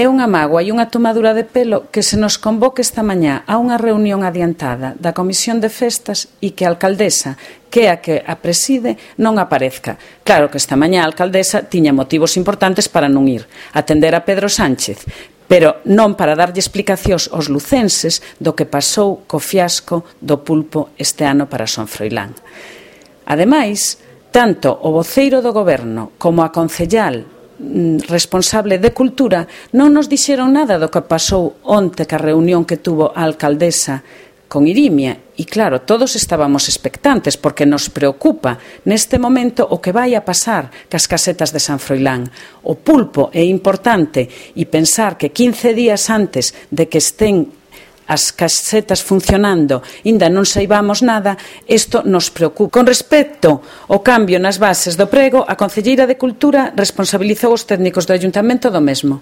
É unha mágoa e unha tomadura de pelo que se nos convoque esta mañá a unha reunión adiantada da Comisión de Festas e que a alcaldesa, que é a que a preside, non aparezca. Claro que esta mañá a alcaldesa tiña motivos importantes para non ir, atender a Pedro Sánchez, pero non para darlle explicacións aos lucenses do que pasou co fiasco do pulpo este ano para Son Froilán. Ademais, tanto o voceiro do Goberno como a concellal responsable de Cultura non nos dixeron nada do que pasou onte ca reunión que tuvo a alcaldesa con Irimia. E claro, todos estábamos expectantes porque nos preocupa neste momento o que vai a pasar cas casetas de San Froilán. O pulpo é importante e pensar que 15 días antes de que estén as casetas funcionando, ainda non saibamos nada, isto nos preocupa. Con respecto ao cambio nas bases do prego, a Concelleira de Cultura responsabilizou os técnicos do Ayuntamento do mesmo.